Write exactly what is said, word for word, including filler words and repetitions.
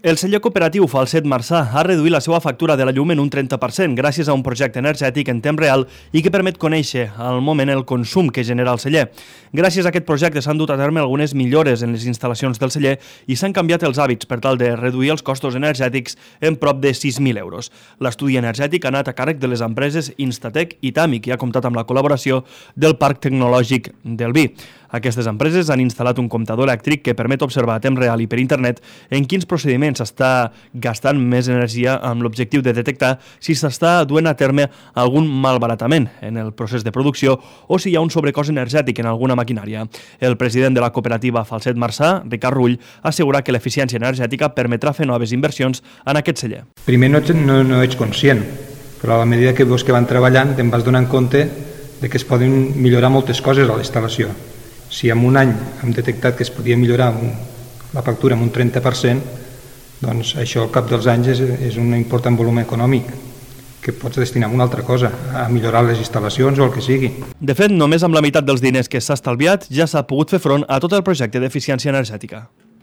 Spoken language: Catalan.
El celler cooperatiu Falset Marçà ha reduït la seva factura de la llum en un trenta per cent gràcies a un projecte energètic en temps real i que permet conèixer al moment el consum que genera el celler. Gràcies a aquest projecte s'han dut a terme algunes millores en les instal·lacions del celler i s'han canviat els hàbits per tal de reduir els costos energètics en prop de sis mil euros. L'estudi energètic ha anat a càrrec de les empreses Instatec i Tàmic i ha comptat amb la col·laboració del Parc Tecnològic del Vi. Aquestes empreses han instal·lat un comptador elèctric que permet observar a temps real i per internet en quins procediments s'està gastant més energia amb l'objectiu de detectar si s'està duent a terme algun malbaratament en el procés de producció o si hi ha un sobrecost energètic en alguna maquinària. El president de la cooperativa Falset Marçà, Ricard Rull, ha assegurat que l'eficiència energètica permetrà fer noves inversions en aquest celler. Primer no, no, no ets conscient, però a la medida que veus que van treballant te'n vas donant compte de que es poden millorar moltes coses a la instal·lació. Si en un any hem detectat que es podia millorar un, la factura en un trenta per cent, doncs això al cap dels anys és, és un important volum econòmic que pots destinar a una altra cosa, a millorar les instal·lacions o el que sigui. De fet, només amb la meitat dels diners que s'ha estalviat ja s'ha pogut fer front a tot el projecte d'eficiència energètica.